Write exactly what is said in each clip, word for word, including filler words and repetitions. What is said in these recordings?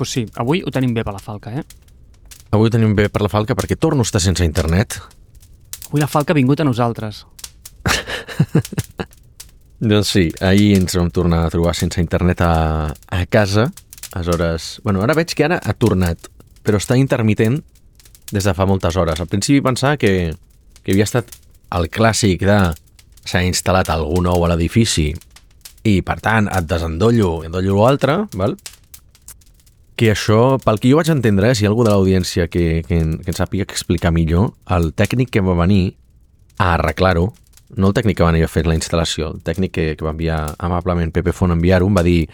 pues sí, avui ho tenim bé per la Falca, eh? Avui ho tenim bé per la Falca perquè torno a estar sense internet. Avui la Falca ha vingut a nosaltres. Doncs sí, ahir ens vam tornar a trobar sense internet a, a casa. Aleshores, bueno, ara veig que ara ha tornat, però està intermitent des de fa moltes hores. Al principi pensava que, que havia estat el clàssic de s'ha instal·lat algú nou a l'edifici i, per tant, et desendollo i endollo l'altre, val? Que això, pel que jo vaig entendre, eh, si hi ha algú de l'audiència que, que, que ens sàpiga explicar millor, el tècnic que va venir a arreglar-ho, no el tècnic que va venir a fer la instal·lació, el tècnic que, que va enviar amablement Pepe Font a enviar-ho, em va dir: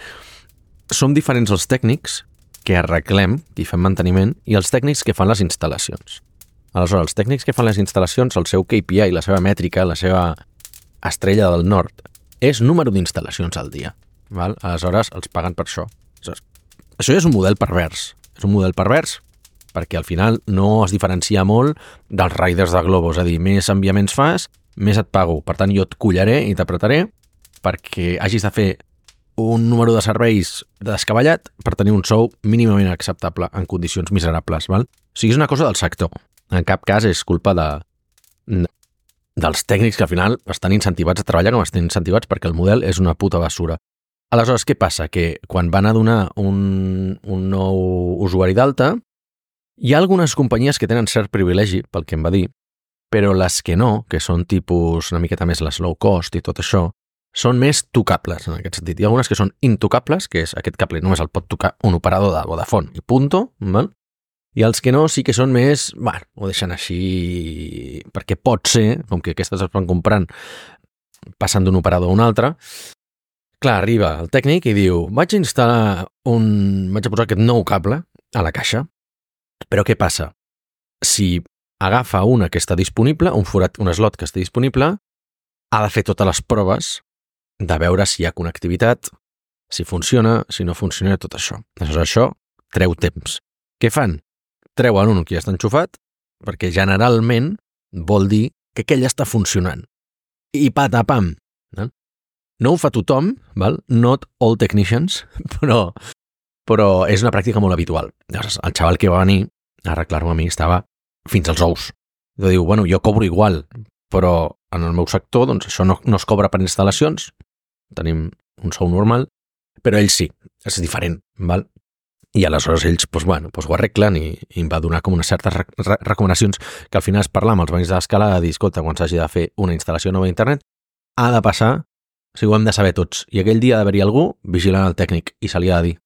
som diferents els tècnics que arreglem i fem manteniment i els tècnics que fan les instal·lacions. Aleshores, els tècnics que fan les instal·lacions, el seu K P I, la seva mètrica, la seva estrella del nord, és número d'instal·lacions al dia. Val? Aleshores, els paguen per això. Aleshores, això ja és un model pervers. És un model pervers perquè al final no es diferencia molt dels riders de Globo. És a dir, més enviaments fas, més et pago. Per tant, jo et collaré i t'apretaré perquè hagis de fer un número de serveis descabellat per tenir un sou mínimament acceptable en condicions miserables. Val? O sigui, és una cosa del sector. En cap cas és culpa de, dels tècnics que al final estan incentivats a treballar com estan incentivats perquè el model és una puta basura. Aleshores, què passa? Que quan van a donar un, un nou usuari d'alta, hi ha algunes companyies que tenen cert privilegi, pel que em va dir, però les que no, que són tipus una miqueta més les low cost i tot això, són més tocables en aquest sentit. Hi ha algunes que són intocables, que és aquest cable només el pot tocar un operador de Vodafone i punto, val? I els que no sí que són més, bueno, ho deixen així perquè pot ser, com que aquestes es van comprant passant d'un operador a un altre. Clar, arriba el tècnic i diu: vaig a instal·lar un... vaig a posar aquest nou cable a la caixa, però què passa? Si agafa una que està disponible, un forat, un slot que està disponible, ha de fer totes les proves de veure si hi ha connectivitat, si funciona, si no funciona, tot això. Aleshores, això treu temps. Què fan? Treuen un que ja està enxufat, perquè generalment vol dir que aquell està funcionant. I patapam! No? No ho fa tothom, val? Not all technicians, però, però és una pràctica molt habitual. Llavors, el xaval que va venir a arreglar-ho a mi estava fins als ous. I diu, bueno, jo cobro igual, però en el meu sector doncs, això no, no es cobra per instal·lacions, tenim un sou normal, però ells sí, és diferent, val? I aleshores ells doncs, bueno, doncs ho arreglen i, i em va donar com unes certes rec recomanacions que al final es parlar amb els veïns de l'escala de dir, escolta, quan s'hagi de fer una instal·lació nova d'internet, ha de passar, o sigui, ho hem de saber tots, i aquell dia ha d'haver-hi algú vigilant el tècnic i se li ha de dir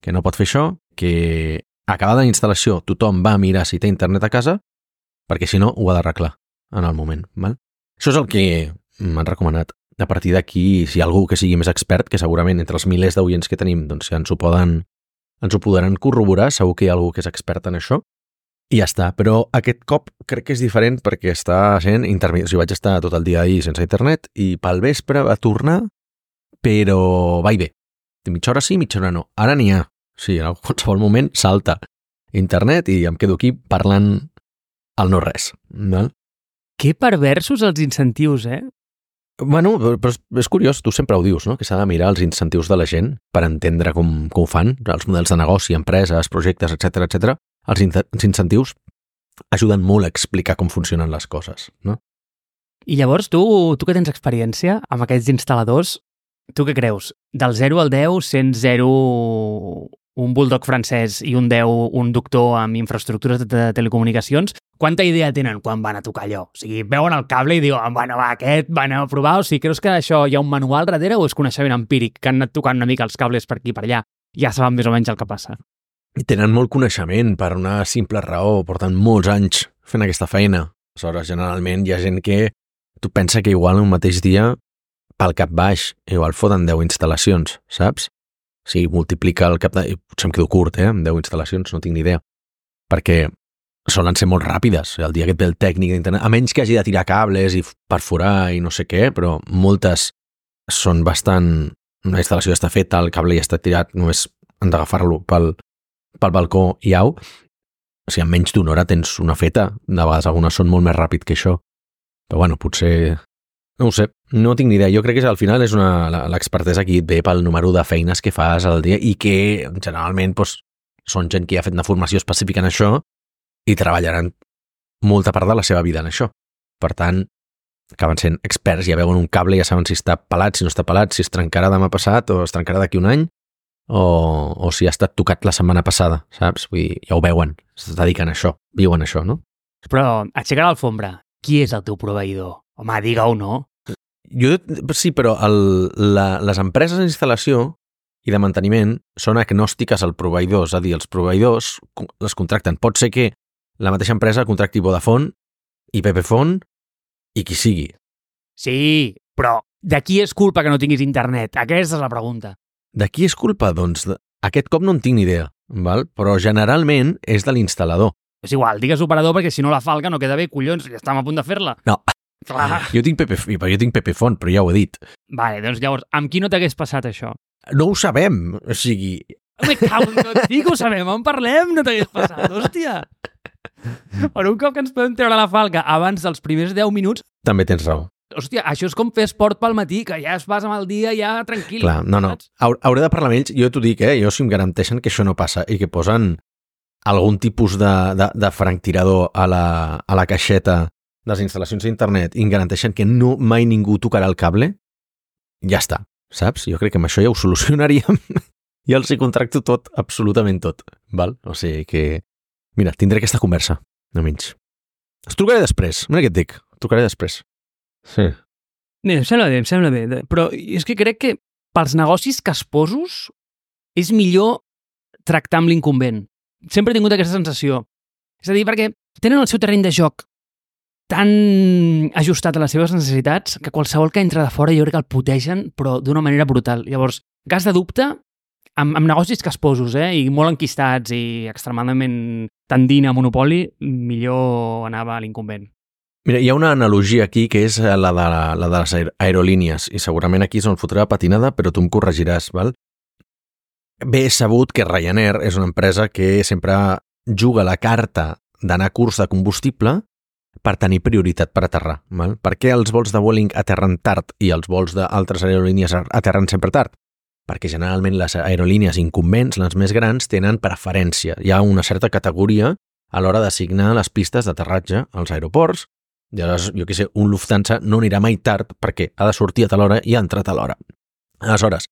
que no pot fer això, que acabada la instal·lació tothom va a mirar si té internet a casa, perquè si no ho ha d'arreglar en el moment. Val? Això és el que m'han recomanat. A partir d'aquí, si hi ha algú que sigui més expert, que segurament entre els milers d'oients que tenim doncs, ja ens ho poden, ens ho podran corroborar, segur que hi ha algú que és expert en això, i ja està. Però aquest cop crec que és diferent perquè està sent intermittent. O sigui, vaig estar tot el dia ahir sense internet i pel vespre va tornar, però va i ve. Mitja hora sí, mitja hora no. Ara n'hi ha. Sí, en qualsevol moment salta internet i em quedo aquí parlant el no res. Val? Que perversos els incentius, eh? Bueno, però és, és curiós, tu sempre ho dius, no? Que s'ha de mirar els incentius de la gent per entendre com, com ho fan, els models de negoci, empreses, projectes, etcètera, etcètera. Els, in els incentius ajuden molt a explicar com funcionen les coses, no? I llavors, tu, tu que tens experiència amb aquests instal·ladors, tu què creus? Del zero al deu, sent zero un bulldog francès i un deu un doctor amb infraestructures de telecomunicacions, quanta idea tenen quan van a tocar allò? O sigui, veuen el cable i diuen, bueno, va, aquest van a provar, o sigui, creus que això hi ha un manual darrere o és coneixement empíric, que han anat tocant una mica els cables per aquí i per allà, ja saben més o menys el que passa? I tenen molt coneixement per una simple raó, porten molts anys fent aquesta feina. Aleshores, generalment hi ha gent que tu pensa que igual un mateix dia pel cap baix, igual foten deu instal·lacions, saps? O sigui, multiplica el cap de... Potser em quedo curt, eh? Amb deu instal·lacions, no tinc ni idea. Perquè solen ser molt ràpides. El dia que et ve el tècnic d'internet, a menys que hagi de tirar cables i perforar i no sé què, però moltes són bastant... Una instal·lació està feta, el cable ja està tirat, només han d'agafar-lo pel, pel balcó i au. O sigui, en menys d'una hora tens una feta. De vegades algunes són molt més ràpid que això. Però bueno, potser... No ho sé, no tinc ni idea. Jo crec que al final és una... l'expertesa aquí et ve pel número de feines que fas al dia i que generalment doncs, són gent que ja ha fet una formació específica en això i treballaran molta part de la seva vida en això. Per tant, acaben sent experts, ja veuen un cable, ja saben si està pelat, si no està pelat, si es trencarà demà passat o es trencarà d'aquí un any, o, o si ha estat tocat la setmana passada, saps? Vull dir, ja ho veuen, es dediquen a això, viuen això, no? Però, aixecar l'alfombra, qui és el teu proveïdor? Home, digue-ho, no? Jo, sí, però el, la, les empreses d'instal·lació i de manteniment són agnòstiques al proveïdor, és a dir, els proveïdors les contracten. Pot ser que la mateixa empresa contracti Vodafone i Pepefone i qui sigui. Sí, però de qui és culpa que no tinguis internet? Aquesta és la pregunta. De qui és culpa? Doncs aquest cop no en tinc ni idea, val? Però generalment és de l'instal·lador. És igual, digues operador perquè si no la falca no queda bé, collons, ja estem a punt de fer-la. No, clar. Jo tinc Pepefone, jo tinc Pepefone, però ja ho he dit. Vale, doncs llavors, amb qui no t'hagués passat això? No ho sabem, o sigui... Me cago en tot, sí que ho sabem, en parlem, no t'hagués passat, hòstia. Per un cop que ens podem treure la falca abans dels primers deu minuts... També tens raó. Hòstia, això és com fer esport pel matí, que ja es vas amb el dia ja tranquil. Clar, no, no, hauré de parlar amb ells, jo t'ho dic, eh? Jo si em garanteixen que això no passa i que posen algun tipus de, de, de franctirador a la, a la caixeta de les instal·lacions d'internet i em garanteixen que no mai ningú tocarà el cable, ja està. Saps? Jo crec que amb això ja ho solucionaríem i els hi contracto tot, absolutament tot. Val? O sigui que... Mira, tindré aquesta conversa, no menys. Es trucaré després. Mira què et dic. Et trucaré després. Sí. Bé, em sembla bé, em sembla bé. Però és que crec que pels negocis casposos és millor tractar amb l'incumbent. Sempre he tingut aquesta sensació. És a dir, perquè tenen el seu terreny de joc tan ajustat a les seves necessitats que qualsevol que entra de fora jo crec que el putegen, però d'una manera brutal. Llavors, cas de dubte, amb, amb negocis casposos, eh, i molt enquistats i extremadament tendint a monopoli, millor anava a l'incumbent. Mira, hi ha una analogia aquí que és la de, la, la de les aerolínies, i segurament aquí és on fotrà patinada, però tu em corregiràs, val? Bé, és sabut que Ryanair és una empresa que sempre juga la carta d'anar a curs de combustible per tenir prioritat per aterrar. Val? Per què els vols de Vueling aterren tard i els vols d'altres aerolínies aterren sempre tard? Perquè generalment les aerolínies incumbents, les més grans, tenen preferència. Hi ha una certa categoria a l'hora d'assignar les pistes d'aterratge als aeroports, i aleshores, jo què sé, un Lufthansa no anirà mai tard perquè ha de sortir a tal hora i ha entrat a l'hora. Aleshores,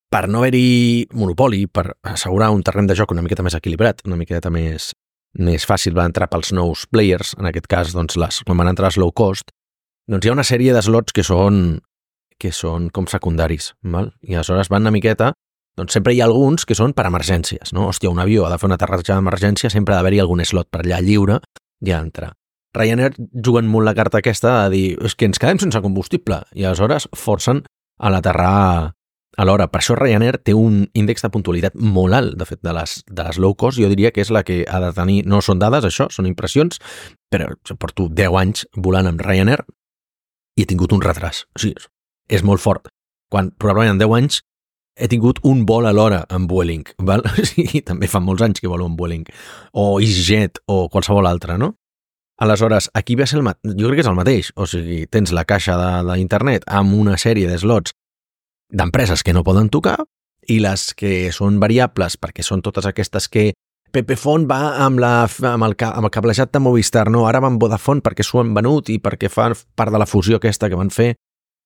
per no haver-hi monopoli, per assegurar un terreny de joc una miqueta més equilibrat, una miqueta més més fàcil va entrar pels nous players, en aquest cas, doncs, les, quan van entrar els low cost, doncs hi ha una sèrie de slots que són, que són com secundaris, val? I aleshores van una miqueta, doncs sempre hi ha alguns que són per emergències, no? Hòstia, un avió ha de fer un aterratge d'emergència, sempre ha d'haver-hi algun slot per allà lliure i ja entrar. Ryanair juguen molt la carta aquesta de dir, és que ens quedem sense combustible, i aleshores forcen a l'aterrar a l'hora. Per això Ryanair té un índex de puntualitat molt alt, de fet, de les, de les low cost, jo diria que és la que ha de tenir, no són dades, això, són impressions, però jo porto deu anys volant amb Ryanair i he tingut un retras. O sigui, és molt fort. Quan probablement en deu anys he tingut un vol a l'hora amb Vueling, val? O sigui, també fa molts anys que volo amb Vueling, o EasyJet, o qualsevol altre, no? Aleshores, aquí ve a ser el mateix, jo crec que és el mateix, o sigui, tens la caixa d'internet amb una sèrie de slots d'empreses que no poden tocar i les que són variables perquè són totes aquestes que Pepefone va amb, la, amb, el, amb el cablejat de Movistar, no, ara va amb Vodafone perquè s'ho han venut i perquè fa part de la fusió aquesta que van fer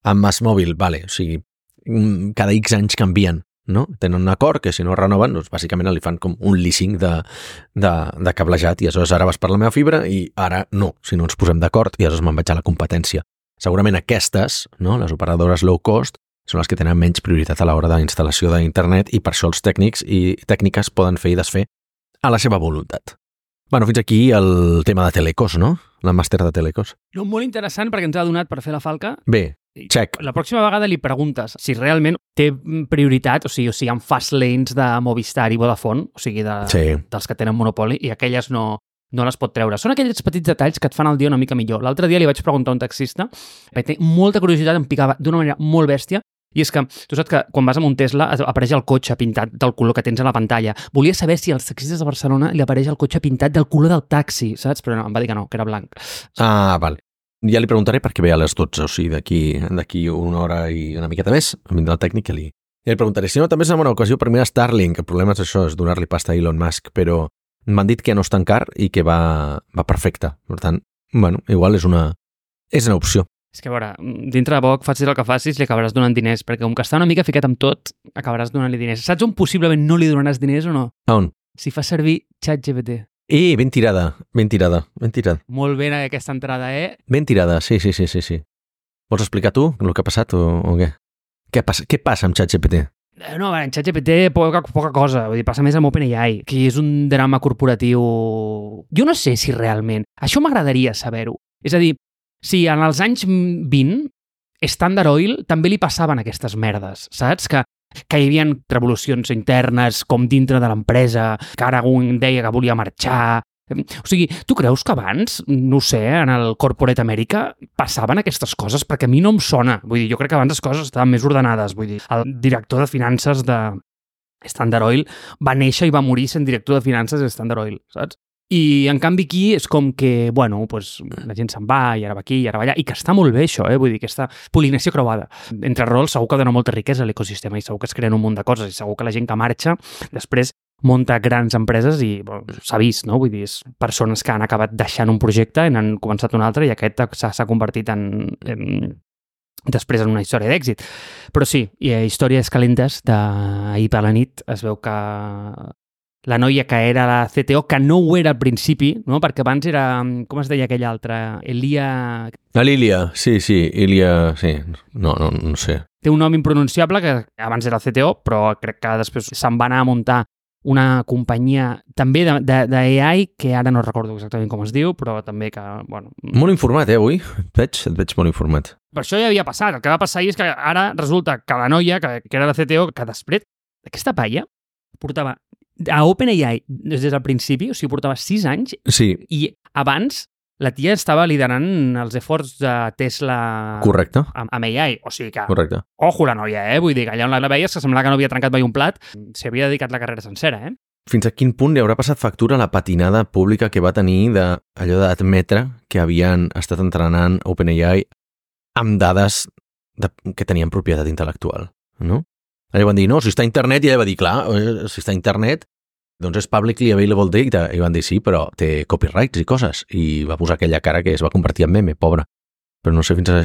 amb MásMóvil, vale, o sigui, cada X anys canvien, no? Tenen un acord que si no renoven, doncs bàsicament li fan com un leasing de, de, de cablejat i aleshores ara vas per la meva fibra i ara no, si no ens posem d'acord i aleshores me'n vaig a la competència. Segurament aquestes, no, les operadores low cost, són les que tenen menys prioritat a l'hora de instal·lació d'internet i per això els tècnics i tècniques poden fer i desfer a la seva voluntat. Bueno, fins aquí el tema de Telecos, no? La màster de Telecos. No, molt interessant perquè ens ha donat per fer la falca. Bé, check. La pròxima vegada li preguntes si realment té prioritat, o sigui, o sigui, hi ha fast lanes de Movistar i Vodafone, o sigui, de, sí. dels que tenen monopoli, i aquelles no, no les pot treure. Són aquells petits detalls que et fan el dia una mica millor. L'altre dia li vaig preguntar a un taxista, perquè té molta curiositat, em picava d'una manera molt bèstia, i és que tu saps que quan vas amb un Tesla apareix el cotxe pintat del color que tens a la pantalla. Volia saber si als taxistes de Barcelona li apareix el cotxe pintat del color del taxi, saps? Però no, em va dir que no, que era blanc. Ah, val. Ja li preguntaré perquè ve a les dotze, o sigui, d'aquí d'aquí una hora i una miqueta més, vindrà el tècnic que li, I li preguntaré, si no, també és una bona ocasió per mirar Starlink. El problema és això, és donar-li pasta a Elon Musk, però m'han dit que no és tan car i que va, va perfecte. Per tant, bueno, igual és una, és una opció. És que, a veure, dintre de poc, facis el que facis, li acabaràs donant diners, perquè com que està una mica ficat amb tot, acabaràs donant-li diners. Saps on possiblement no li donaràs diners o no? A on? Si fa servir ChatGPT. Eh, ben tirada, ben tirada, ben tirada. Molt bé aquesta entrada, eh? Ben tirada, sí, sí, sí, sí, sí. Vols explicar tu el que ha passat o, o què? Què passa, què passa amb ChatGPT? No, a veure, en ChatGPT poca, poca cosa, vull dir, passa més amb OpenAI, que és un drama corporatiu... Jo no sé si realment... Això m'agradaria saber-ho. És a dir, si en els anys vint Standard Oil també li passaven aquestes merdes, saps? Que, que hi havia revolucions internes com dintre de l'empresa, que ara un deia que volia marxar... O sigui, tu creus que abans, no ho sé, en el Corporate America passaven aquestes coses? Perquè a mi no em sona. Vull dir, jo crec que abans les coses estaven més ordenades. Vull dir, el director de finances de Standard Oil va néixer i va morir sent director de finances de Standard Oil, saps? I, en canvi, aquí és com que, bueno, pues, la gent se'n va, i ara va aquí, i ara va allà, i que està molt bé això, eh? Vull dir, aquesta polinació creuada. Entre rols segur que dona molta riquesa a l'ecosistema i segur que es creen un munt de coses i segur que la gent que marxa després munta grans empreses i bueno, s'ha vist, no? Vull dir, és persones que han acabat deixant un projecte i n'han començat un altre i aquest s'ha convertit en, en després en una història d'èxit. Però sí, hi ha històries calentes d'ahir per la nit. Es veu que la noia que era la C T O, que no ho era al principi, no? Perquè abans era, com es deia aquella altra? Elia... La Lilia, sí, sí, Ilia, sí, no, no, no sé. Té un nom impronunciable que abans era C T O, però crec que després se'n va anar a muntar una companyia també d'A I que ara no recordo exactament com es diu, però també que, bueno... Molt informat, eh, avui? Et veig, et veig molt informat. Per això ja havia passat. El que va passar és que ara resulta que la noia, que, que era la C T O, que després aquesta paia portava a OpenAI des del principi, o sigui, portava sis anys, sí. I abans la tia estava liderant els efforts de Tesla. Correcte. Amb, amb A I. O sigui que, correcte. Ojo la noia, eh? Vull dir que allà on la veies, que semblava que no havia trencat mai un plat, s'hi havia dedicat la carrera sencera, eh? Fins a quin punt li haurà passat factura la patinada pública que va tenir d'allò d'admetre que havien estat entrenant OpenAI amb dades de, que tenien propietat intel·lectual, no? Allà van dir, no, si està a internet, i ella va dir, clar, si està a internet, doncs és publicly available data. I van dir, sí, però té copyrights i coses. I va posar aquella cara que es va convertir en meme, pobra. Però no sé fins a...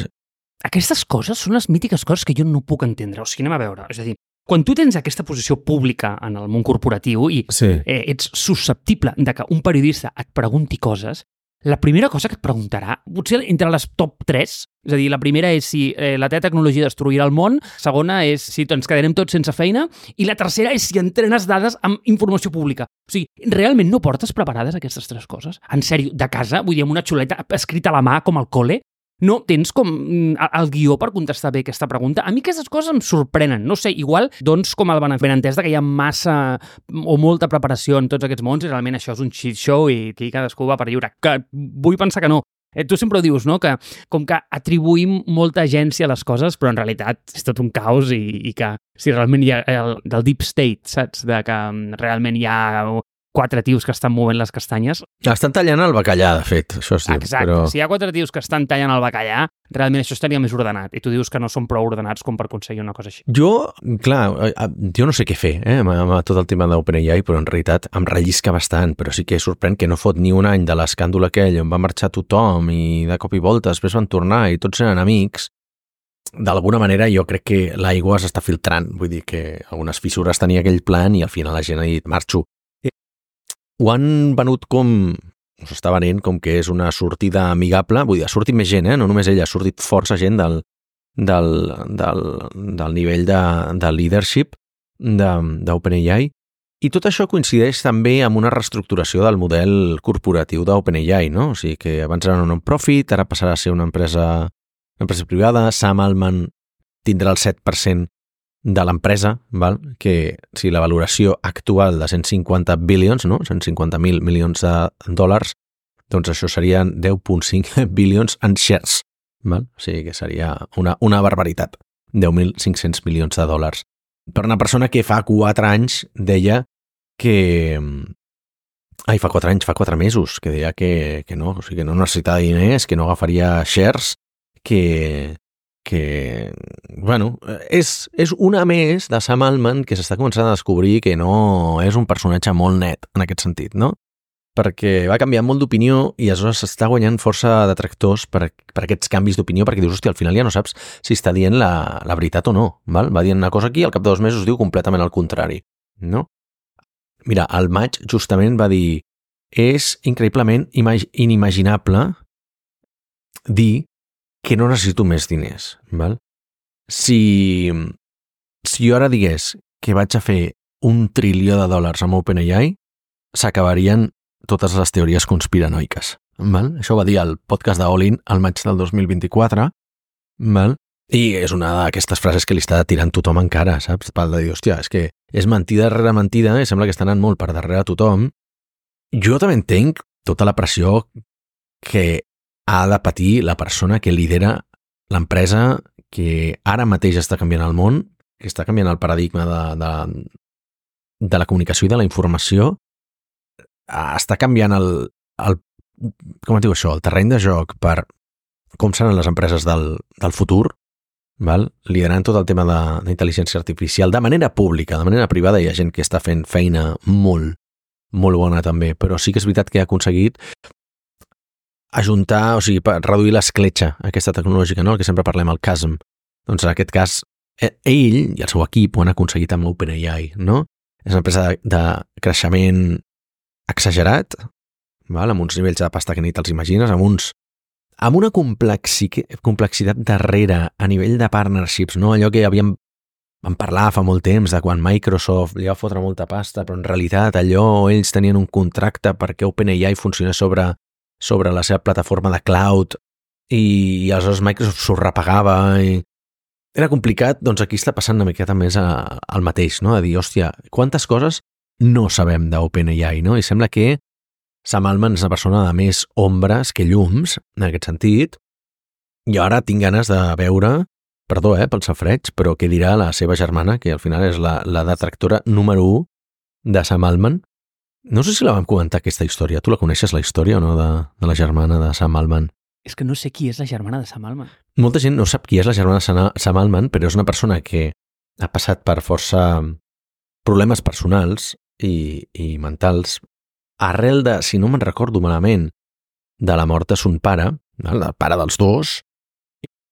Aquestes coses són les mítiques coses que jo no puc entendre. O sigui, anem a veure. És a dir, quan tu tens aquesta posició pública en el món corporatiu i sí. eh, ets susceptible de que un periodista et pregunti coses, la primera cosa que et preguntarà, potser entre les top tres, és a dir, la primera és si eh, la teva tecnologia destruirà el món, segona és si ens quedarem tots sense feina, i la tercera és si entrenes dades amb informació pública. O sigui, realment no portes preparades aquestes tres coses? En sèrio, de casa, vull dir, amb una xuleta escrita a la mà com al col·le? No tens com el guió per contestar bé aquesta pregunta? A mi aquestes coses em sorprenen. No sé, igual, doncs, com el benentès que hi ha massa o molta preparació en tots aquests mons i realment això és un shit show i aquí cadascú va per lliure. Que vull pensar que no. Eh, tu sempre ho dius, no?, que com que atribuïm molta agència a les coses, però en realitat és tot un caos i, i que si realment hi ha el, del deep state, saps? De que realment hi ha quatre tios que estan movent les castanyes. Estan tallant el bacallà, de fet, això es diu. Exacte, però... si hi ha quatre tios que estan tallant el bacallà, realment això estaria més ordenat, i tu dius que no són prou ordenats com per aconseguir una cosa així. Jo, clar, jo no sé què fer eh, amb, amb tot el tema d'OpenAI, però en realitat em rellisca bastant, però sí que sorprèn que no fot ni un any de l'escàndol aquell on va marxar tothom i de cop i volta després van tornar i tots eren amics. D'alguna manera jo crec que l'aigua s'està filtrant, vull dir que algunes fissures tenia aquell plan i al final la gent ha dit marxo. Ho han venut com, s'està venent com que és una sortida amigable, vull dir, ha sortit més gent, eh? No només ella, ha sortit força gent del, del, del, del nivell de, de leadership d'OpenAI, i tot això coincideix també amb una reestructuració del model corporatiu d'OpenAI, no? O sigui que abans era una non-profit, ara passarà a ser una empresa, una empresa privada, Sam Altman tindrà el set per cent de l'empresa, val? Que si la valoració actual de cent cinquanta bilions, no? cent cinquanta mil milions de dòlars, doncs això serien deu coma cinc bilions en shares, val? O sigui que seria una, una barbaritat, deu mil cinc-cents milions de dòlars. Per una persona que fa quatre anys deia que... Ai, fa quatre anys, fa quatre mesos, que deia que, que no, o sigui, que no necessitava diners, que no agafaria shares, que... que bueno, és, és una més de Sam Altman que s'està començant a descobrir que no és un personatge molt net en aquest sentit, no? Perquè va canviar molt d'opinió i aleshores s'està guanyant força detractors per, per aquests canvis d'opinió, perquè dius, hòstia, al final ja no saps si està dient la, la veritat o no, val? Va dient una cosa aquí i al cap de dos mesos diu completament el contrari, no? Mira, al maig justament va dir és increïblement imag inimaginable dir que no necessito més diners, val? Si, si jo ara digués que vaig a fer un trilió de dòlars amb OpenAI, s'acabarien totes les teories conspiranoiques. Val? Això ho va dir al podcast d'Olin al maig del dos mil vint-i-quatre, val? I és una d'aquestes frases que li està tirant tothom encara, saps? Pel de dir, hòstia, és que és mentida rere mentida i sembla que està anant molt per darrere tothom. Jo també entenc tota la pressió que ha de patir la persona que lidera l'empresa que ara mateix està canviant el món, que està canviant el paradigma de, de, de la comunicació i de la informació, està canviant el, el, com es diu això, el terreny de joc per com seran les empreses del, del futur, val? Liderant tot el tema d'intel·ligència artificial de manera pública, de manera privada. Hi ha gent que està fent feina molt, molt bona també, però sí que és veritat que ha aconseguit ajuntar, o sigui, reduir l'escletxa aquesta tecnològica, no? El que sempre parlem, el chasm. Doncs en aquest cas, ell i el seu equip ho han aconseguit amb OpenAI, no? És una empresa de, de creixement exagerat, val? Amb uns nivells de pasta que ni te'ls imagines, amb uns amb una complexi, complexitat darrere a nivell de partnerships, no? Allò que havíem vam parlar fa molt temps de quan Microsoft li va fotre molta pasta, però en realitat allò ells tenien un contracte perquè OpenAI funcionés sobre, sobre la seva plataforma de cloud i, i aleshores Microsoft s'ho repagava i era complicat. Doncs aquí està passant una miqueta més a, al mateix, no? A dir, hòstia, quantes coses no sabem d'OpenAI, no? I sembla que Sam Altman és una persona de més ombres que llums, en aquest sentit, i ara tinc ganes de veure, perdó, eh, pel safreig, però què dirà la seva germana, que al final és la, la detractora número u de Sam Altman. No sé si la vam comentar, aquesta història. Tu la coneixes, la història, o no, de, de la germana de Sam Altman? És que no sé qui és la germana de Sam Altman. Molta gent no sap qui és la germana de Sam Altman, però és una persona que ha passat per força problemes personals i, i mentals arrel de, si no me'n recordo malament, de la mort de son pare, el pare dels dos.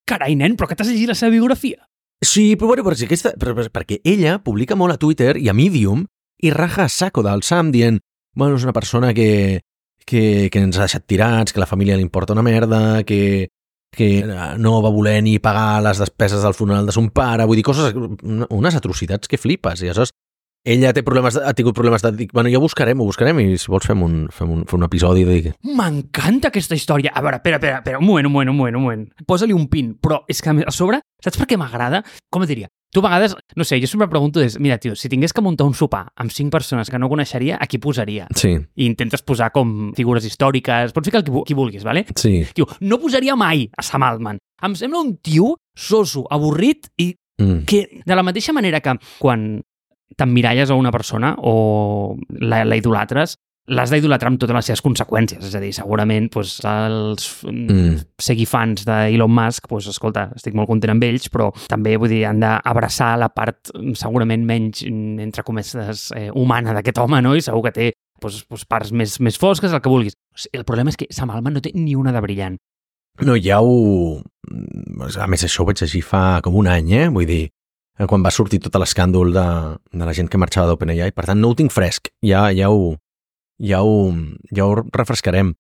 Carai, nen, però que t'has llegit la seva biografia? Sí, però, bueno, però, aquesta, però, però perquè ella publica molt a Twitter i a Medium i raja a saco del Sam dient, bueno, és una persona que, que, que ens ha deixat tirats, que la família li importa una merda, que, que no va voler ni pagar les despeses del funeral de son pare, vull dir, coses, unes atrocitats que flipes, i aleshores ella té problemes, ha tingut problemes de... Dic, bueno, ja ho buscarem, ho buscarem, i si vols fem un, fem un, fem un episodi de... M'encanta aquesta història. A veure, espera, espera, espera, un moment, un moment, un moment, un moment. Posa-li un pin, però és que a sobre, saps per què m'agrada? Com et diria? Tu a vegades, no sé, jo sempre pregunto, és, mira, tio, si tingués que muntar un sopar amb cinc persones que no coneixeria, a qui posaria? Sí. I intentes posar com figures històriques, pots ficar el qui vulguis, vale? Sí. Tio, no posaria mai a Sam Altman. Em sembla un tio soso, avorrit i mm. que de la mateixa manera que quan t'emmiralles a una persona o la, la idolatres, l'has d'idolatrar amb totes les seves conseqüències. És a dir, segurament doncs, els mm. seguifans d'Elon Musk, doncs, escolta, estic molt content amb ells, però també vull dir, han d'abraçar la part segurament menys, entre cometes, eh, humana d'aquest home, no? I segur que té doncs, doncs, parts més, més fosques, el que vulguis. El problema és que Sam Altman no té ni una de brillant. No, ja ho... A més, això ho vaig llegir fa com un any, eh? Vull dir, quan va sortir tot l'escàndol de, de la gent que marxava d'OpenAI. Per tant, no ho tinc fresc. Ja, ja, ho, ja, ho, ja ho refrescarem.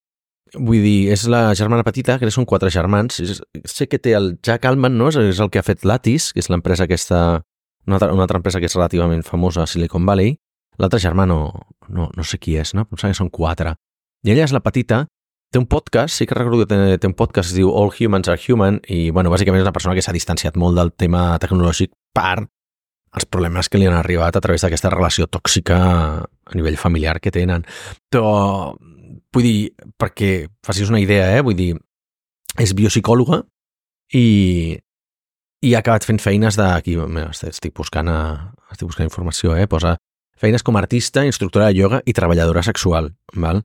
Vull dir, és la germana petita, que són quatre germans. Sé que té el Jack Altman, no? És el que ha fet Lattice, que és l'empresa aquesta... Una altra, una altra empresa que és relativament famosa a Silicon Valley. L'altre germà no, no, no sé qui és, no? Pensava que són quatre. I ella és la petita. Té un podcast, sí que recordo que té, té un podcast que es diu All Humans Are Human i, bueno, bàsicament és una persona que s'ha distanciat molt del tema tecnològic per els problemes que li han arribat a través d'aquesta relació tòxica a nivell familiar que tenen. Però, vull dir, perquè facis una idea, eh? Vull dir, és biopsicòloga i, i ha acabat fent feines de... Aquí, mira, estic buscant, a, estic buscant informació, eh? Posa feines com a artista, instructora de ioga i treballadora sexual, val?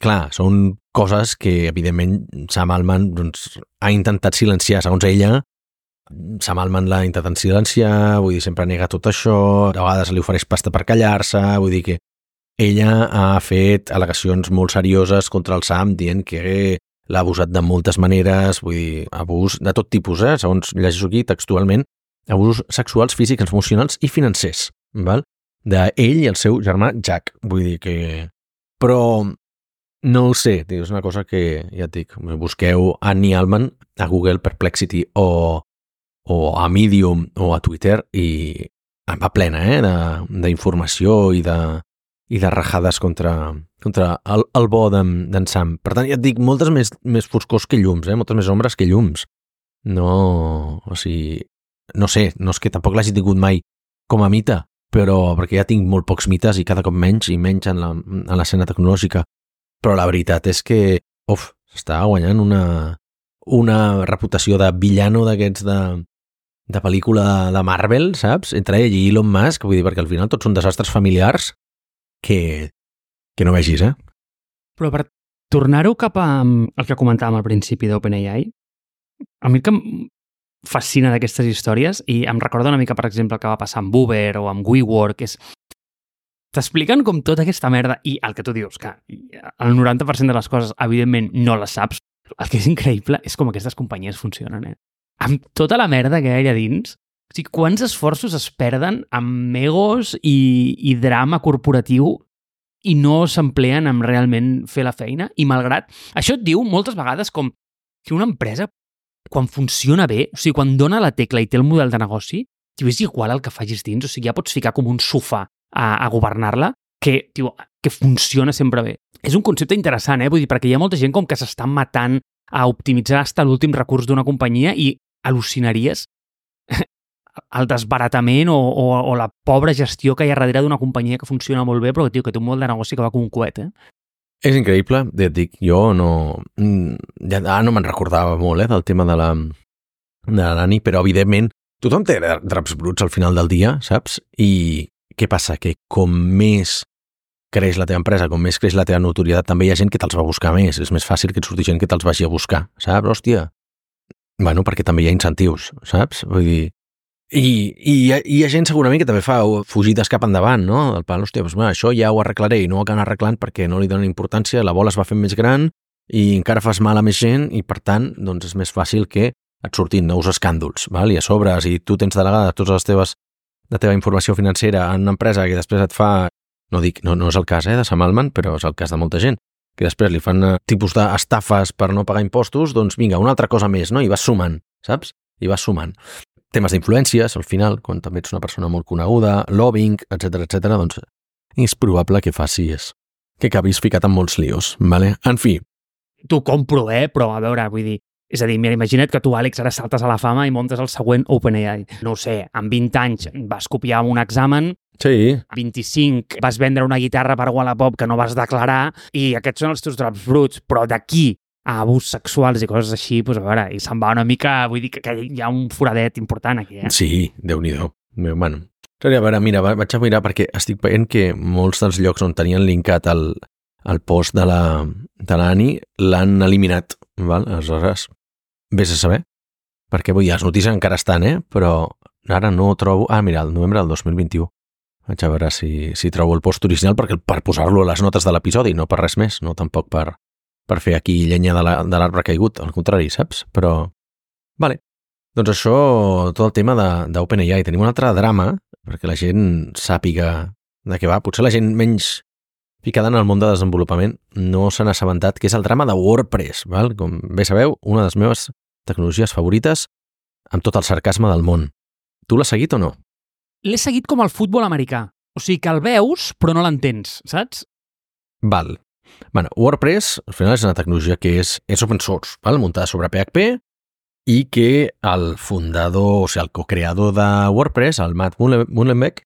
Clar, són coses que, evidentment, Sam Altman doncs, ha intentat silenciar, segons ella, Sam Altman l'ha intentat silenciar, vull dir, sempre nega tot això, a vegades li ofereix pasta per callar-se, vull dir que ella ha fet al·legacions molt serioses contra el Sam dient que l'ha abusat de moltes maneres, vull dir, abús de tot tipus, eh? Segons llegeixo aquí textualment, abusos sexuals, físics, emocionals i financers, val? D'ell i el seu germà Jack, vull dir que... Però no ho sé, és una cosa que, ja et dic, busqueu Annie Altman a Google Perplexity o, o a Medium o a Twitter i va plena eh, d'informació i de, i de rajades contra, contra el, el bo d'en Sam. Per tant, ja et dic, moltes més, més foscors que llums, eh? Moltes més ombres que llums. No, o sigui, no sé, no és que tampoc l'hagi tingut mai com a mite, però perquè ja tinc molt pocs mites i cada cop menys i menys en l'escena tecnològica. Però la veritat és que, uf, està guanyant una, una reputació de villano d'aquests de, de pel·lícula de Marvel, saps? Entre ell i Elon Musk, vull dir, perquè al final tots són desastres familiars que, que no vegis, eh? Però per tornar-ho cap a el que comentàvem al principi d'OpenAI, a mi el que em fascina d'aquestes històries, i em recorda una mica, per exemple, el que va passar amb Uber o amb WeWork, és t'expliquen com tota aquesta merda, i el que tu dius, que el noranta per cent de les coses, evidentment, no les saps. El que és increïble és com aquestes companyies funcionen, eh? Amb tota la merda que hi ha allà dins, o sigui, quants esforços es perden amb egos i, i drama corporatiu i no s'empleen en realment fer la feina, i malgrat... Això et diu moltes vegades com que una empresa, quan funciona bé, o sigui, quan dona la tecla i té el model de negoci, tio, és igual el que facis dins, o sigui, ja pots ficar com un sofà a, a governar-la, que, tio, que funciona sempre bé. És un concepte interessant, eh? Vull dir, perquè hi ha molta gent com que s'està matant a optimitzar fins a l'últim recurs d'una companyia i al·lucinaries el desbaratament o, o, o la pobra gestió que hi ha darrere d'una companyia que funciona molt bé, però tio, que té un model de negoci que va com un coet, eh? És increïble, ja et dic, jo no... Ja, ah, no me'n recordava molt, eh, del tema de la de l'Ani, però evidentment tothom té draps bruts al final del dia, saps? I què passa? Que com més creix la teva empresa, com més creix la teva notorietat, també hi ha gent que te'ls va buscar més. És més fàcil que et surti gent que te'ls vagi a buscar, saps? Hòstia. Bueno, perquè també hi ha incentius, saps? Vull dir... I, i hi, ha, hi ha gent segurament que també fa fugides cap endavant, no? El pal, hòstia, doncs, bueno, això ja ho arreglaré i no ho acaben arreglant perquè no li donen importància, la bola es va fent més gran i encara fas mal a més gent i, per tant, doncs és més fàcil que et surtin nous escàndols, val? I a sobre, si tu tens delegades totes les teves, la teva informació financera en una empresa que després et fa, no dic, no, no és el cas eh, de Sam Altman, però és el cas de molta gent, que després li fan tipus d'estafes per no pagar impostos, doncs vinga, una altra cosa més, no? I vas sumant, saps? I vas sumant. Temes d'influències, al final, quan també ets una persona molt coneguda, lobbying, etcètera, etcètera, doncs és probable que facis, que acabis ficat en molts líos, vale? En fi. T'ho compro, eh? Però, a veure, vull dir, és a dir, mira, imagina't que tu, Àlex, ara saltes a la fama i montes el següent OpenAI. No ho sé, amb vint anys vas copiar un examen, sí. A vint-i-cinc vas vendre una guitarra per Wallapop que no vas declarar i aquests són els teus drops bruts, però d'aquí a abús sexuals i coses així, doncs a veure, i se'n va una mica, vull dir que, que hi ha un foradet important aquí, eh? Sí, Déu-n'hi-do. Bueno, a veure, mira, vaig a mirar perquè estic veient que molts dels llocs on tenien linkat el, el post de la de l'Ani l'han eliminat, val? Aleshores, vés a saber, perquè vull dir, les notícies encara estan, eh? Però ara no trobo... Ah, mira, el novembre del dos mil vint-i-u. Vaig a veure si, si trobo el post original perquè per posar-lo a les notes de l'episodi, no per res més, no tampoc per, per fer aquí llenya de l'arbre caigut, al contrari, saps? Però, vale. Doncs això, tot el tema d'OpenAI. Tenim un altre drama, perquè la gent sàpiga de què va. Potser la gent menys ficada en el món de desenvolupament no s'han assabentat, que és el drama de WordPress, val? Com bé sabeu, una de les meves tecnologies favorites amb tot el sarcasme del món. Tu l'has seguit o no? L'he seguit com el futbol americà. O sigui que el veus, però no l'entens, saps? Val. Bueno, WordPress, al final, és una tecnologia que és, és open source, val? Muntada sobre P H P, i que el fundador, o sigui, el co-creador de WordPress, el Matt Mullenweg,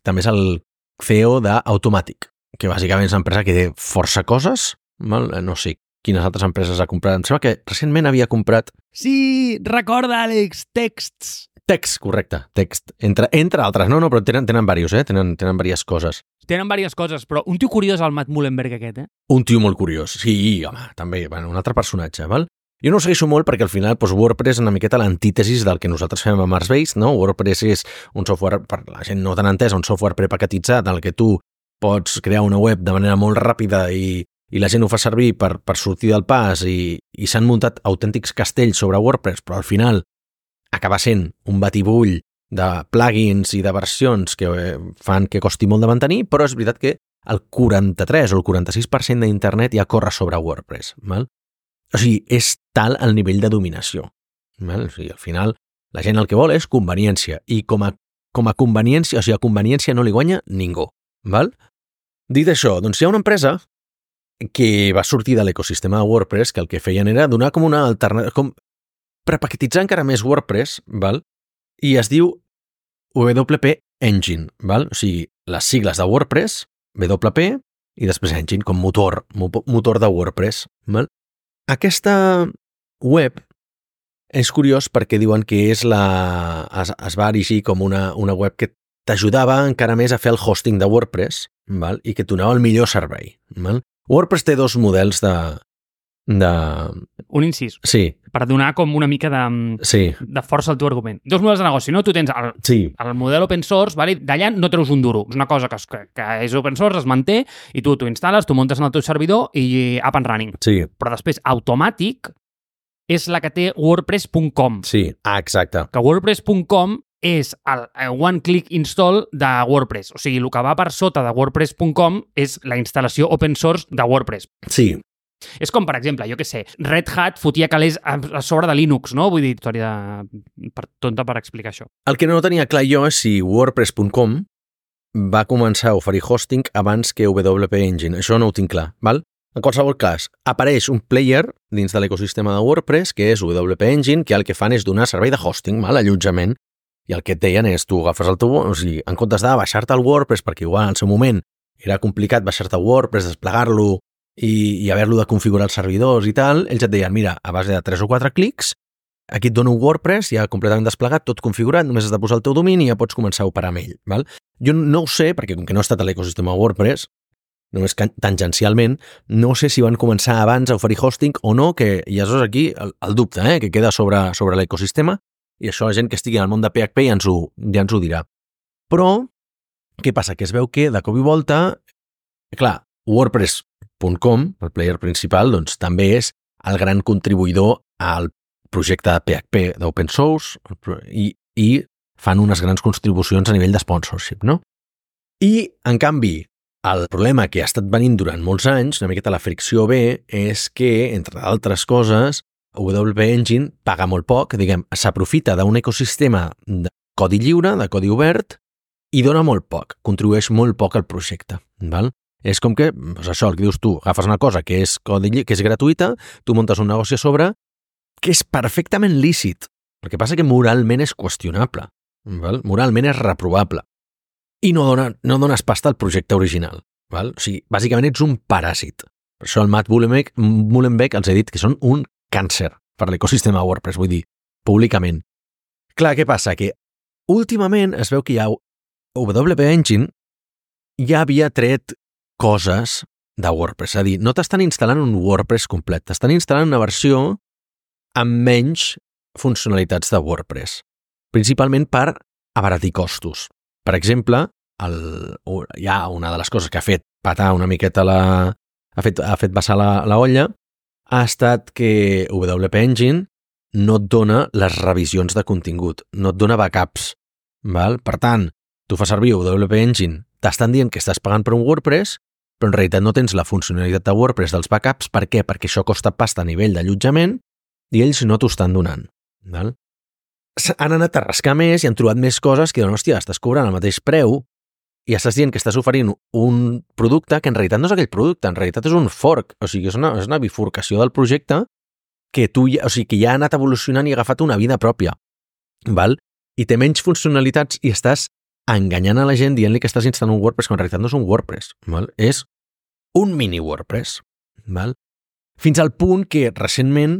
també és el C E O d'Automatic, que bàsicament és una empresa que té força coses, val? No sé quines altres empreses ha comprat. Em sembla que recentment havia comprat... Sí, recorda, Àlex, Texts. Text, correcte, Text. Entre, entre altres, no, no, però tenen, tenen diversos, eh? Tenen, tenen diverses coses. Tenen diverses coses, però un tio curiós el Matt Mullenweg aquest, eh? Un tio molt curiós, sí, home, també, bueno, un altre personatge, val? Jo no ho segueixo molt perquè al final doncs, WordPress és una miqueta l'antítesis del que nosaltres fem a Marsbase, no? WordPress és un software, per la gent no tan entesa, un software prepaquetitzat en el que tu pots crear una web de manera molt ràpida i, i la gent ho fa servir per, per sortir del pas i, i s'han muntat autèntics castells sobre WordPress, però al final acaba sent un batibull de plugins i de versions que fan que costi molt de mantenir, però és veritat que el quaranta-tres o el quaranta-sis per cent d'internet ja corre sobre WordPress, val? O sigui, és tal el nivell de dominació. Val? O sigui, al final, la gent el que vol és conveniència. I com a, com a conveniència, o sigui, a conveniència no li guanya ningú. Val? Dit això, doncs hi ha una empresa que va sortir de l'ecosistema de WordPress que el que feien era donar com una alternativa, com prepaquetitzar encara més WordPress, val? I es diu W P Engine. Val? O sigui, les sigles de WordPress, W P, i després Engine com motor, motor de WordPress. Val? Aquesta web és curiós perquè diuen que és la, es, es va erigir com una, una web que t'ajudava encara més a fer el hosting de WordPress, val? I que et donava el millor servei. Val? WordPress té dos models de, de... Un incís. Sí. Per donar com una mica de, sí. de força al teu argument. Dos models de negoci, no? Tu tens el, sí. el model open source, vale? D'allà no treus un duro. És una cosa que, que, que és open source, es manté, i tu t'ho instal·les, t'ho muntes en el teu servidor i up and running. Sí. Però després, automàtic, és la que té WordPress punt com. Sí, ah, exacte. Que WordPress punt com és el one-click install de WordPress. O sigui, el que va per sota de WordPress punt com és la instal·lació open source de WordPress. Sí. És com, per exemple, jo què sé, Red Hat fotia calés a sobre de Linux, no? Vull dir, història de... per, tonta per explicar això. El que no tenia clar jo és si WordPress punt com va començar a oferir hosting abans que W P Engine. Això no ho tinc clar, val? En qualsevol cas, apareix un player dins de l'ecosistema de WordPress, que és W P Engine, que el que fan és donar servei de hosting, val? Allotjament, i el que et deien és, tu agafes el teu... O sigui, en comptes de baixar-te el WordPress, perquè igual en el seu moment era complicat baixar-te WordPress, desplegar-lo i, i haver-lo de configurar els servidors i tal, ells et deien, mira, a base de tres o quatre clics, aquí et dono un WordPress ja completament desplegat, tot configurat, només has de posar el teu domini i ja pots començar a operar amb ell. Val? Jo no ho sé, perquè com que no he estat a l'ecosistema WordPress, només tangencialment, no sé si van començar abans a oferir hosting o no, que i això és aquí el, el dubte, eh, que queda sobre, sobre l'ecosistema, i això la gent que estigui al món de P H P ja ens ho, ja ens ho dirà. Però, què passa? Que es veu que, de cop i volta, clar, WordPress punt com, el player principal, doncs també és el gran contribuïdor al projecte de P H P d'open source i, i fan unes grans contribucions a nivell de sponsorship, no? I, en canvi, el problema que ha estat venint durant molts anys, una miqueta la fricció ve, és que, entre altres coses, W P Engine paga molt poc, diguem, s'aprofita d'un ecosistema de codi lliure, de codi obert, i dona molt poc, contribueix molt poc al projecte, val? És com que, doncs això, el que dius tu, agafes una cosa que és, codi, que és gratuïta, tu muntes un negoci a sobre, que és perfectament lícit. El que passa que moralment és qüestionable, val? Moralment és reprovable. I no, dona, no dones pasta al projecte original. Val? O sigui, bàsicament ets un paràsit. Per això el Matt Mullenweg els he dit que són un càncer per l'ecosistema WordPress, vull dir, públicament. Clar, què passa? Que últimament es veu que ja W P Engine ja havia tret coses de WordPress. És a dir, no t'estan instal·lant un WordPress complet, t'estan instal·lant una versió amb menys funcionalitats de WordPress, principalment per abaratir costos. Per exemple, el, hi ha una de les coses que ha fet patar una miqueta la... ha fet, ha fet vessar la, la olla, ha estat que W P Engine no et dona les revisions de contingut, no et dona backups. Val? Per tant, tu fas servir W P Engine, t'estan dient que estàs pagant per un WordPress, però en realitat no tens la funcionalitat de WordPress dels backups. Per què? Perquè això costa pasta a nivell d'allotjament i ells no t'ho estan donant. Val? Han anat a rascar més i han trobat més coses que diuen, hòstia, estàs cobrant el mateix preu i estàs dient que estàs oferint un producte que en realitat no és aquell producte, en realitat és un fork, o sigui, és una, és una bifurcació del projecte que tu ja, o sigui, que ja ha anat evolucionant i ha agafat una vida pròpia, val? I té menys funcionalitats i estàs enganyant a la gent dient-li que estàs instal·lant un WordPress, que en realitat no és un WordPress, val? És un mini WordPress, val? Fins al punt que recentment,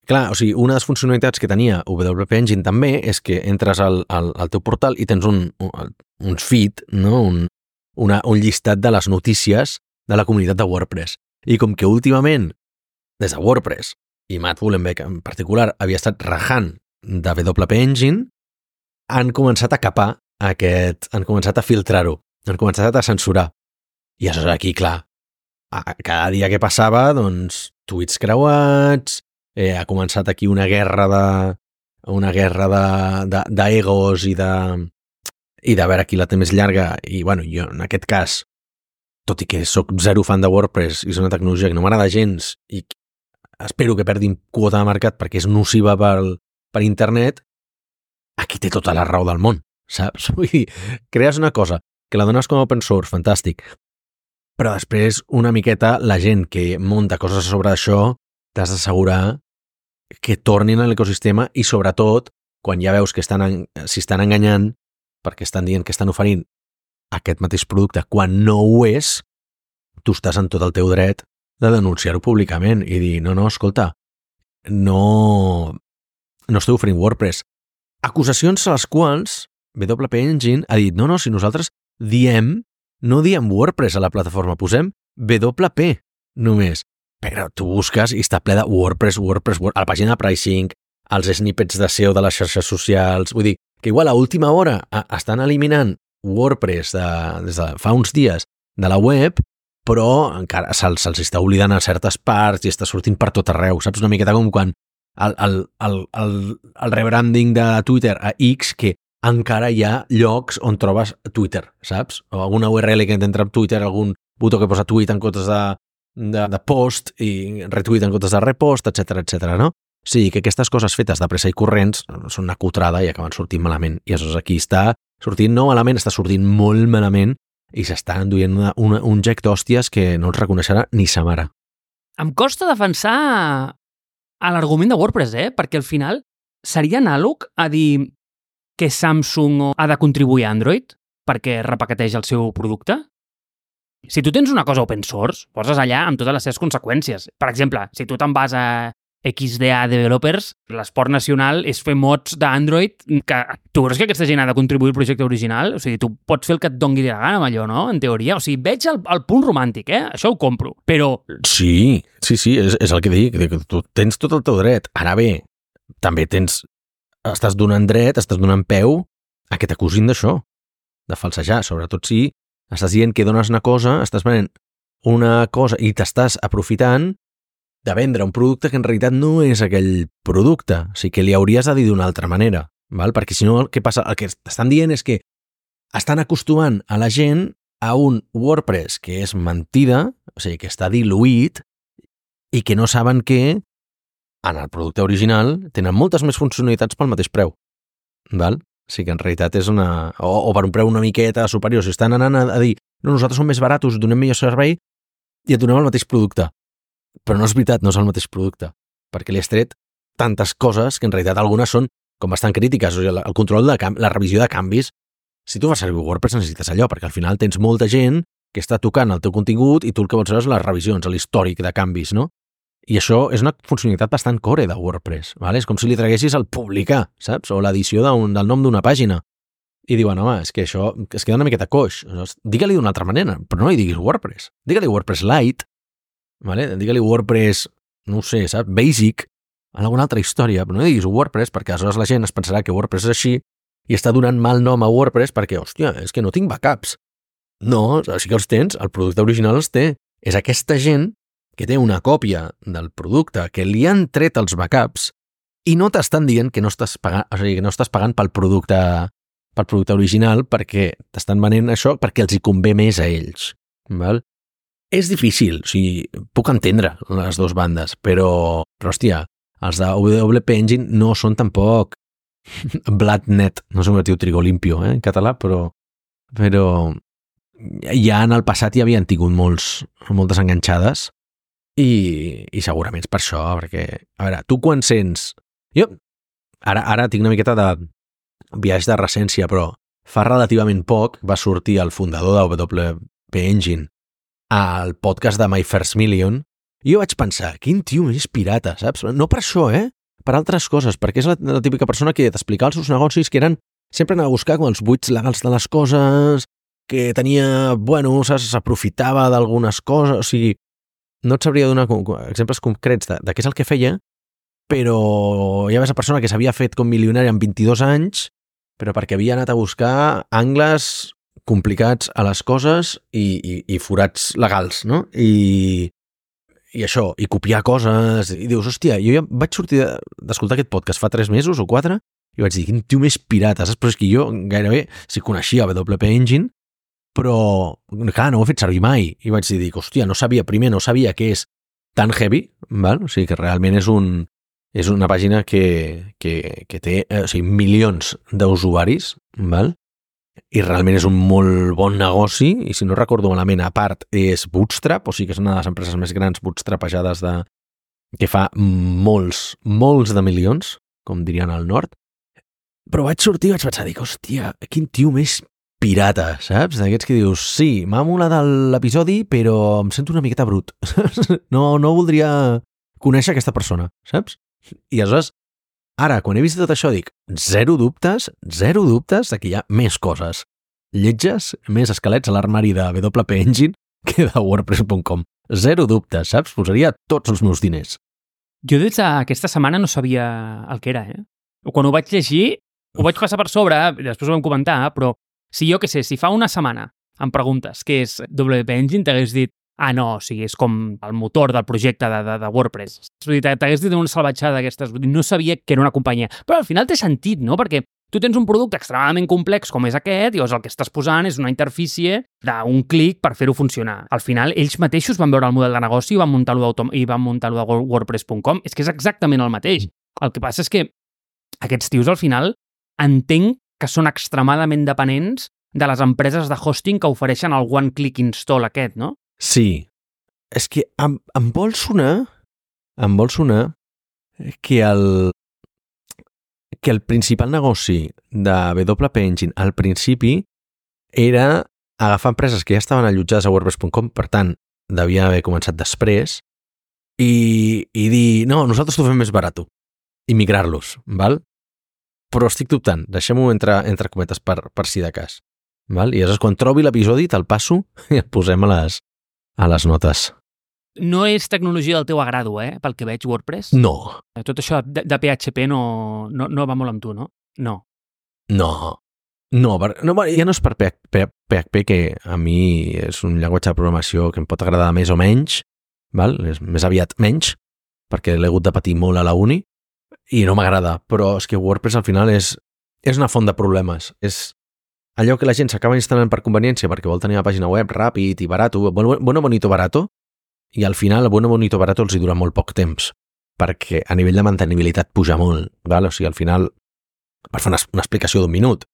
clar, o sigui, una de les funcionalitats que tenia W P Engine també és que entres al, al, al teu portal i tens un, un, un feed, no? un, una, un llistat de les notícies de la comunitat de WordPress. I com que últimament, des de WordPress, i Matt Mullenweg en particular havia estat rajant de W P Engine, han començat a capar aquest, han començat a filtrar-ho, han començat a censurar. I això aquí, clar, cada dia que passava, doncs, tuits creuats, eh, ha començat aquí una guerra de una guerra de d'egos i de i de veure qui la té més llarga. I, bueno, jo, en aquest cas, tot i que sóc zero fan de WordPress i és una tecnologia que no m'agrada gens i espero que perdin quota de mercat perquè és nociva per, per internet, aquí té tota la raó del món, saps? Vull dir, crees una cosa que la dones com a open source, fantàstic, però després una miqueta la gent que munta coses sobre això t'has d'assegurar que tornin a l'ecosistema i sobretot quan ja veus que estan, si estan enganyant perquè estan dient que estan oferint aquest mateix producte quan no ho és, tu estàs en tot el teu dret de denunciar-ho públicament i dir, no, no, escolta, no, no esteu oferint WordPress. Acusacions a les quals W P Engine ha dit, no, no, si nosaltres diem, no diem WordPress a la plataforma, posem W P només. Però tu busques i està ple de WordPress, WordPress, WordPress, a la pàgina de pricing, els snippets de S E O de les xarxes socials, vull dir, que igual a última hora estan eliminant WordPress de, des de fa uns dies de la web, però encara se'ls se està oblidant a certes parts i està sortint per tot arreu, saps? Una miqueta com quan el, el, el, el, el rebranding de Twitter a X, que encara hi ha llocs on trobes Twitter, saps? O alguna U R L que entra en Twitter, algun botó que posa tweet en comptes de, de, de post i retweet en comptes de repost, etcètera, etcètera, no? O sigui, que aquestes coses fetes de pressa i corrents són una cutrada i acaben sortint malament. I això aquí està sortint no malament, està sortint molt malament i s'està enduient una, una, un gec d'hòsties que no els reconeixerà ni sa mare. Em costa defensar a l'argument de WordPress, eh? Perquè al final seria anàleg a dir que Samsung ha de contribuir a Android perquè repaqueteja el seu producte? Si tu tens una cosa open source, poses allà amb totes les seves conseqüències. Per exemple, si tu te'n vas a X D A Developers, l'esport nacional és fer mods d'Android que tu creus que aquesta gent ha de contribuir al projecte original? O sigui, tu pots fer el que et dongui de la gana amb allò, no? En teoria. O sigui, veig el, el punt romàntic, eh? Això ho compro. Però... Sí, sí, sí, és, és el que dic. Tu tens tot el teu dret. Ara bé, també tens... Estàs donant dret, estàs donant peu a que t'acusin d'això, de falsejar. Sobretot si estàs dient que dones una cosa, estàs venent una cosa i t'estàs aprofitant de vendre un producte que en realitat no és aquell producte. O sigui, que li hauries de dir d'una altra manera, val? Perquè si no, el que passa, el que estan dient és que estan acostumant a la gent a un WordPress que és mentida, o sigui, que està diluït i que no saben que en el producte original tenen moltes més funcionalitats pel mateix preu, val? O sigui que en realitat és una... O, o per un preu una miqueta superior. Si estan anant a, a dir, no, nosaltres som més baratos, donem millor servei i et donem el mateix producte. Però no és veritat, no és el mateix producte, perquè li has tret tantes coses que en realitat algunes són com bastant crítiques. O sigui, el control de canvi, la revisió de canvis, si tu vas servir WordPress necessites allò, perquè al final tens molta gent que està tocant el teu contingut i tu el que vols saber és les revisions, l'històric de canvis, no? I això és una funcionalitat bastant core de WordPress, ¿vale? És com si li traguessis el publicar, saps? O l'edició del nom d'una pàgina. I diuen, home, és que això es queda una miqueta coix. Digue-li d'una altra manera, però no li diguis WordPress. Digue-li WordPress Lite, ¿vale? Digue-li WordPress, no ho sé, saps? Basic, en alguna altra història, però no diguis WordPress perquè aleshores la gent es pensarà que WordPress és així i està donant mal nom a WordPress perquè, hòstia, és que no tinc backups. No, sí que els tens, el producte original els té. És aquesta gent que té una còpia del producte que li han tret els backups i no t'estan dient que no estàs pagant, o sigui, que no estàs pagant pel producte, pel producte original perquè t'estan venent això perquè els hi convé més a ells, val? És difícil, o sigui, puc entendre les dues bandes, però, però hòstia, els de W P Engine no són tampoc Blatnet, no sé com es diu Trigo Limpio, eh, en català, però, però ja en el passat hi havien tingut molts, moltes enganxades i, i segurament és per això, perquè, a veure, tu quan sents... Jo ara, ara tinc una miqueta de viatge de recència, però fa relativament poc va sortir el fundador de W P Engine al podcast de My First Million i jo vaig pensar, quin tio més pirata, saps? No per això, eh? Per altres coses, perquè és la, la típica persona que t'explicava els seus negocis que eren... Sempre anava a buscar com els buits legals de les coses, que tenia, bueno, s'aprofitava d'algunes coses, o sigui, no et sabria donar exemples concrets de, de què és el que feia, però hi havia esa persona que s'havia fet com milionari en vint-i-dos anys, però perquè havia anat a buscar angles complicats a les coses i, i, i forats legals, no? I, i això, i copiar coses, i dius, hòstia, jo ja vaig sortir d'escoltar aquest podcast fa tres mesos o quatre, i vaig dir, quin tio més pirata, saps? Però és que jo gairebé si coneixia W P Engine, però, clar, no ho he fet servir mai. I vaig dir, dic, hòstia, no sabia, primer no sabia que és tan heavy, val? O sigui, que realment és un és una pàgina que, que, que té eh, o sigui, milions d'usuaris, val? I realment és un molt bon negoci, i si no recordo malament, a part és Bootstrap, o sigui que és una de les empreses més grans bootstrapejades de, que fa molts, molts de milions, com dirien al nord. Però vaig sortir i vaig pensar, dic, hòstia, quin tio més pirata, saps? D'aquests que dius, sí, m'ha molat l'episodi, però em sento una miqueta brut. No, no voldria conèixer aquesta persona, saps? I aleshores, ara, quan he vist tot això, dic, zero dubtes, zero dubtes de que hi ha més coses lletges, més esquelets a l'armari de W P Engine que de WordPress punt com. Zero dubtes, saps? Posaria tots els meus diners. Jo des d'aquesta setmana no sabia el que era, eh? Quan ho vaig llegir, ho vaig passar per sobre, després ho vam comentar, però si jo, què sé, si fa una setmana em preguntes què és W P Engine, t'hagués dit, ah, no, o sigui, és com el motor del projecte de, de, de WordPress. T'hagués dit una salvatjada d'aquestes, no sabia que era una companyia. Però al final té sentit, no? Perquè tu tens un producte extremadament complex com és aquest i llavors el que estàs posant és una interfície d'un clic per fer-ho funcionar. Al final, ells mateixos van veure el model de negoci i van muntar-lo i van muntar-lo de WordPress punt com. És que és exactament el mateix. El que passa és que aquests tios, al final, entenc que són extremadament dependents de les empreses de hosting que ofereixen el one-click install aquest, no? Sí. És que em, em vol sonar, em vol sonar que el, que el principal negoci de W P Engine al principi era agafar empreses que ja estaven allotjades a WordPress punt com, per tant, devia haver començat després, i, i dir, no, nosaltres t'ho fem més barat, i migrar-los, val? Però estic dubtant, deixem-ho entre, entre cometes per, per si de cas. Val? I llavors, quan trobi l'episodi, te'l passo i el posem a les, a les notes. No és tecnologia del teu agrado, eh? Pel que veig, WordPress. No. Tot això de, de P H P no, no, no va molt amb tu, no? No. No. No, per, no ja no és per P H P, que a mi és un llenguatge de programació que em pot agradar més o menys, val? És més aviat menys, perquè l'he hagut de patir molt a la uni, i no m'agrada, però és que WordPress al final és, és una font de problemes. És allò que la gent s'acaba instal·lant per conveniència perquè vol tenir una pàgina web ràpid i barato, bueno, bonito, barato, i al final el bueno, bonito, barato els hi dura molt poc temps, perquè a nivell de mantenibilitat puja molt, val? O sigui, al final, per fer una, una explicació d'un minut,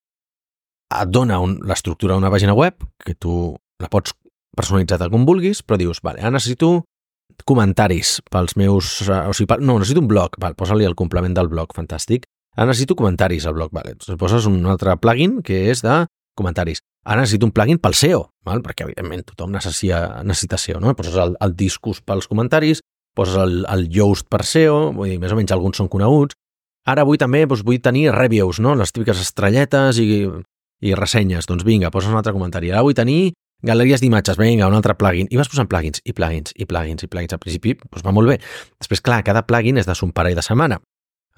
et dona un, l'estructura d'una pàgina web, que tu la pots personalitzar tal com vulguis, però dius, vale, ara necessito comentaris pels meus... O sigui, no, necessito un blog, val, posa-li el complement del blog, fantàstic. Ara necessito comentaris al blog, vale. Doncs poses un altre plugin que és de comentaris. Ara necessito un plugin pel S E O, val? Perquè evidentment tothom necessita, necessita S E O, no? Poses el, el discus pels comentaris, poses el, el Yoast per S E O, vull dir, més o menys alguns són coneguts. Ara vull també, doncs vull tenir reviews, no? Les típiques estrelletes i, i ressenyes. Doncs vinga, poses un altre comentari. Ara vull tenir galeries d'imatges, vinga, un altre plugin. I vas posant plugins, i plugins, i plugins, i plugins. Al principi, doncs va molt bé. Després, clar, cada plugin és de son parell de setmana.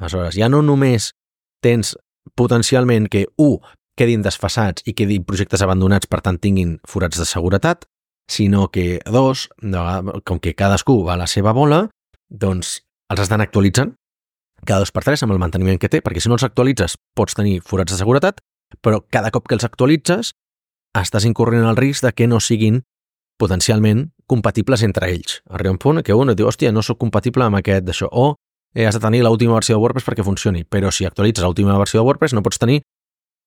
Aleshores, ja no només tens potencialment que, u, quedin desfasats i quedin projectes abandonats, per tant tinguin forats de seguretat, sinó que, dos, com que cadascú va a la seva bola, doncs els estan actualitzant cada dos per tres amb el manteniment que té, perquè si no els actualitzes pots tenir forats de seguretat, però cada cop que els actualitzes estàs incorrent el risc de que no siguin potencialment compatibles entre ells. Arriba un punt que un et diu, hòstia, no soc compatible amb aquest d'això, o eh, has de tenir l'última versió de WordPress perquè funcioni, però si actualitzes l'última versió de WordPress no pots tenir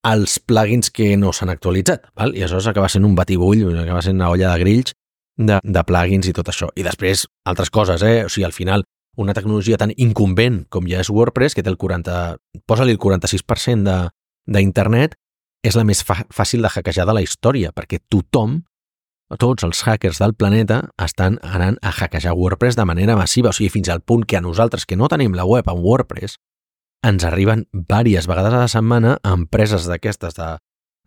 els plugins que no s'han actualitzat, val? I aleshores acaba sent un batibull, acaba sent una olla de grills de, de plugins i tot això. I després, altres coses, eh? O sigui, al final, una tecnologia tan incumbent com ja és WordPress, que té el quaranta... Posa-li el quaranta-sis per cent de, d'internet, és la més fàcil de hackejar de la història, perquè tothom, tots els hackers del planeta, estan anant a hackejar WordPress de manera massiva, o sigui, fins al punt que a nosaltres, que no tenim la web en WordPress, ens arriben diverses vegades a la setmana a empreses d'aquestes de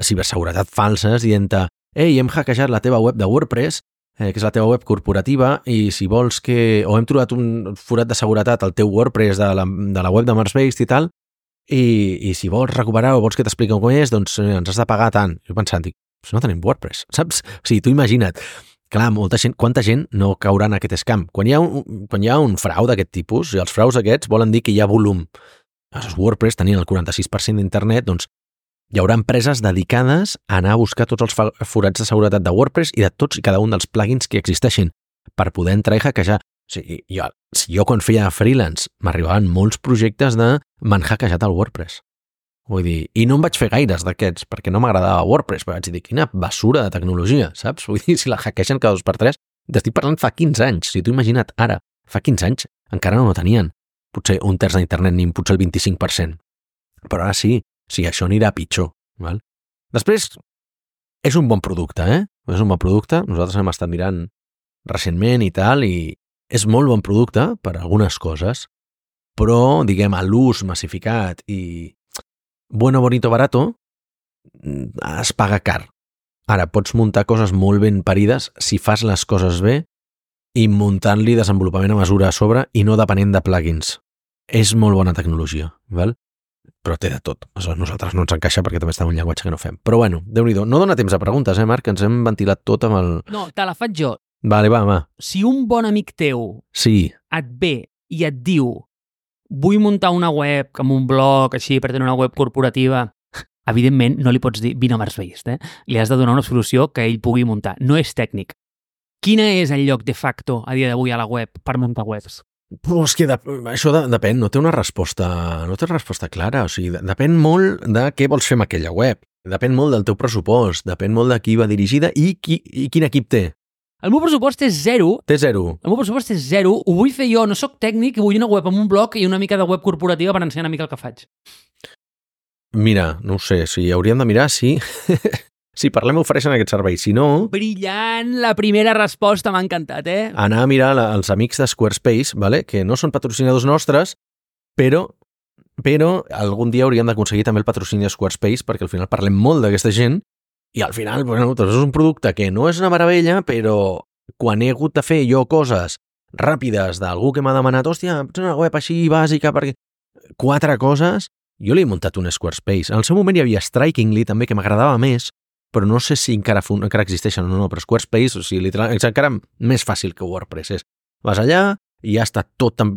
ciberseguretat falses dient-te, ei, hem hackejat la teva web de WordPress, eh, que és la teva web corporativa, i si vols que... o hem trobat un forat de seguretat al teu WordPress de la, de la web de MarsBased i tal, i, i si vols recuperar o vols que t'expliqui com és, doncs eh, ens has de pagar tant. Jo pensant, dic, no tenim WordPress, saps? O sigui, tu imagina't, clar, molta gent, quanta gent no caurà en aquest scam? Quan hi ha un, quan hi ha un frau d'aquest tipus, i els fraus aquests volen dir que hi ha volum. Els WordPress tenien el quaranta-sis per cent d'internet, doncs hi haurà empreses dedicades a anar a buscar tots els forats de seguretat de WordPress i de tots i cada un dels plugins que existeixin per poder entrar i hackejar. O sigui, jo, jo quan feia freelance m'arribaven molts projectes de m'han hackejat el WordPress. Vull dir, i no em vaig fer gaires d'aquests perquè no m'agradava WordPress, però vaig dir, quina basura de tecnologia, saps? Vull dir, si la hackegen cada dos per tres, t'estic parlant fa quinze anys, si t'ho imagina't ara, fa quinze anys encara no ho tenien, potser un terç d'internet ni potser el vint-i-cinc per cent, però ara sí. Sí, això anirà pitjor. Val? Després, és un bon producte, eh? És un bon producte. Nosaltres hem estat mirant recentment i tal, i és molt bon producte per algunes coses, però, diguem, a l'ús massificat i bueno, bonito, barato, es paga car. Ara, pots muntar coses molt ben parides si fas les coses bé i muntant-li desenvolupament a mesura a sobre i no depenent de plugins. És molt bona tecnologia, val? Però té de tot. A nosaltres no ens encaixa perquè també està en un llenguatge que no fem. Però bueno, Déu-n'hi-do. No dona temps a preguntes, eh, Marc? Ens hem ventilat tot amb el... No, te la faig jo. Vale, va, va. Si un bon amic teu sí. et ve i et diu vull muntar una web amb un blog així per tenir una web corporativa, evidentment no li pots dir vine a MarsBased, eh? Li has de donar una solució que ell pugui muntar. No és tècnic. Quina és el lloc de facto a dia d'avui a la web per muntar webs? Però és que de, això de, depèn, no té una resposta, no té una resposta clara, o sigui, de, depèn molt de què vols fer amb aquella web, depèn molt del teu pressupost, depèn molt de qui va dirigida i, qui, i quin equip té. El meu pressupost és zero. Té zero. El meu pressupost és zero, ho vull fer jo, no sóc tècnic, vull una web amb un blog i una mica de web corporativa per ensenyar una mica el que faig. Mira, no ho sé, si hauríem de mirar, sí... Si parlem, ofereixen aquest servei. Si no... Brillant! La primera resposta m'ha encantat, eh? Anar a mirar la, els amics de Squarespace, vale? Que no són patrocinadors nostres, però, però algun dia hauríem d'aconseguir també el patrocini de Squarespace, perquè al final parlem molt d'aquesta gent, i al final, bueno, doncs és un producte que no és una meravella, però quan he hagut de fer jo coses ràpides d'algú que m'ha demanat, hòstia, pots una web així bàsica, perquè... Quatre coses, jo li he muntat un Squarespace. En el seu moment hi havia Strikingly, també, que m'agradava més, però no sé si encara, encara existeixen o no, però Squarespace, o sigui, literal, és encara més fàcil que WordPress és. Vas allà i ja està tot amb,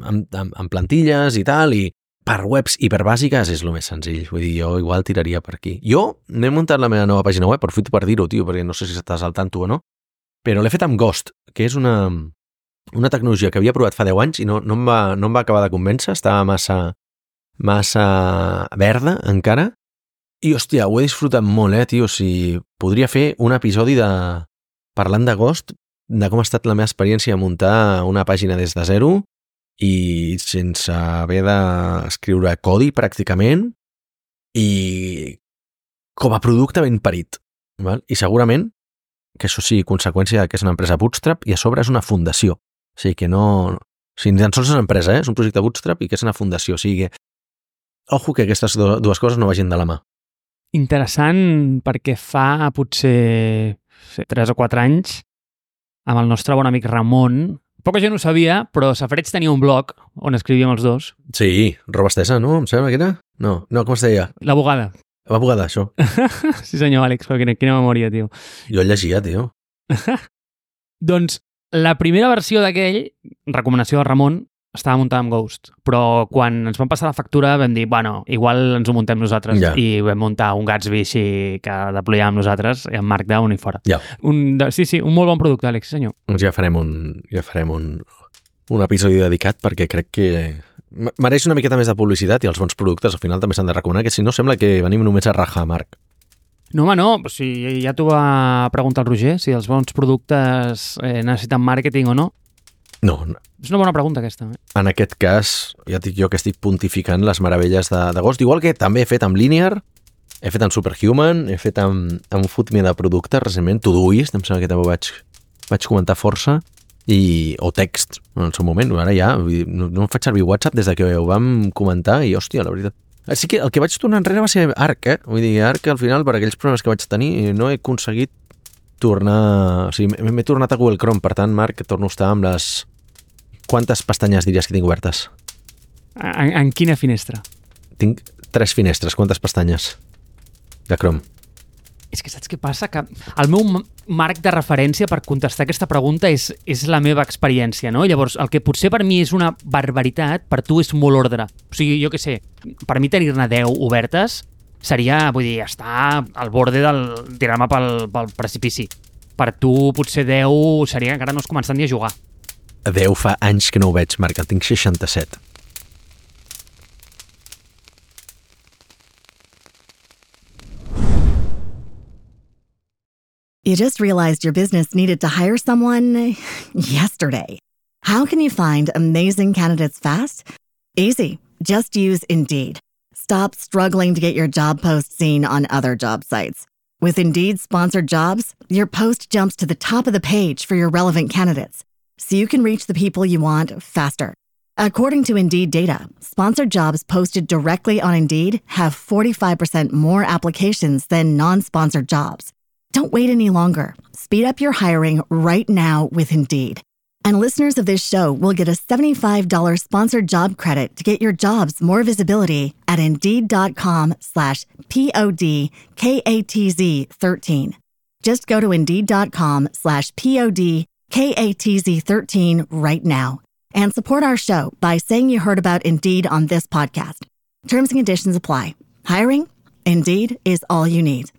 amb, amb plantilles i tal, i per webs hiperbàsiques és el més senzill. Vull dir, jo igual tiraria per aquí. Jo m'he muntat la meva nova pàgina web, aprofito per dir-ho, tio, perquè no sé si estàs al tanto o no, però l'he fet amb Ghost, que és una, una tecnologia que havia provat fa deu anys i no, no, em va, no em va acabar de convèncer, estava massa, massa verda encara. I, hòstia, ho he disfrutat molt, eh, tio. O sigui, podria fer un episodi de... parlant de Ghost, de com ha estat la meva experiència de muntar una pàgina des de zero i sense haver d'escriure codi, pràcticament, i com a producte ben parit. Val? I segurament que això sigui conseqüència que és una empresa bootstrap i a sobre és una fundació. O sigui, que no... O sigui, ni tan sols és una empresa, eh? És un projecte bootstrap i que és una fundació. O sigui, que... ojo que aquestes dues coses no vagin de la mà. Interessant perquè fa potser tres o quatre anys amb el nostre bon amic Ramon, poca gent ho sabia, però Safareig tenia un blog on escrivíem els dos. Sí, roba estesa, no? Em sembla que era? No, no, com es deia? La bugada. La bugada, això. Sí senyor, Àlex, quina, quina memòria, tio. Jo el llegia, tio. Doncs la primera versió d'aquell, recomanació de Ramon, estava muntada amb Ghost, però quan ens van passar la factura vam dir, bueno, igual ens ho muntem nosaltres, ja. I vam muntar un Gatsby així que deployàvem nosaltres i amb Markdown i fora. Ja. Un, sí, sí, un molt bon producte, Àlex, senyor. Doncs ja farem un, ja farem un, un episodi dedicat perquè crec que mereix una miqueta més de publicitat i els bons productes al final també s'han de recomanar, que si no sembla que venim només a rajar, Marc. No, home, no, o sigui, ja t'ho va preguntar el Roger, si els bons productes eh, necessiten màrqueting o no. No, no. És una bona pregunta, aquesta. Eh? En aquest cas, ja et dic jo que estic pontificant les meravelles de, de Ghost, igual que també he fet amb Linear, he fet amb Superhuman, he fet amb, amb Foodme de productes recentment, Todoist, em sembla que també vaig, vaig comentar força, i, o Text, en el seu moment, ara ja, no, no em faig servir WhatsApp des de que ho vam comentar, i hòstia, la veritat. Així que el que vaig tornar enrere va ser Arc, eh? Vull dir, Arc, al final, per aquells problemes que vaig tenir, no he aconseguit tornar... O sigui, m'he tornat a Google Chrome, per tant, Marc, torno a estar amb les... Quantes pestanyes diries que tinc obertes? En, en quina finestra? Tinc tres finestres. Quantes pestanyes de Chrome? És que saps què passa? Que el meu marc de referència per contestar aquesta pregunta és, és la meva experiència, no? Llavors, el que potser per mi és una barbaritat, per tu és molt ordre. O sigui, jo què sé, per mi tenir-ne deu obertes seria, vull dir, estar al borde del tirar-me pel, pel precipici. Per tu, potser deu seria que encara no has començat ni a jugar. deu fa anys que no ho veig, Marc. En tinc seixanta-set. You just realized your business needed to hire someone yesterday. How can you find amazing candidates fast? Easy. Just use Indeed. Stop struggling to get your job post seen on other job sites. With Indeed sponsored jobs, your post jumps to the top of the page for your relevant candidates, so you can reach the people you want faster. According to Indeed data, sponsored jobs posted directly on Indeed have forty-five percent more applications than non-sponsored jobs. Don't wait any longer. Speed up your hiring right now with Indeed. And listeners of this show will get a seventy-five dollars sponsored job credit to get your jobs more visibility at Indeed.com slash P-O-D-K-A-T-Z 13. Just go to Indeed.com slash P-O-D-K-A-T-Z 13 right now and support our show by saying you heard about Indeed on this podcast. Terms and conditions apply. Hiring? Indeed is all you need.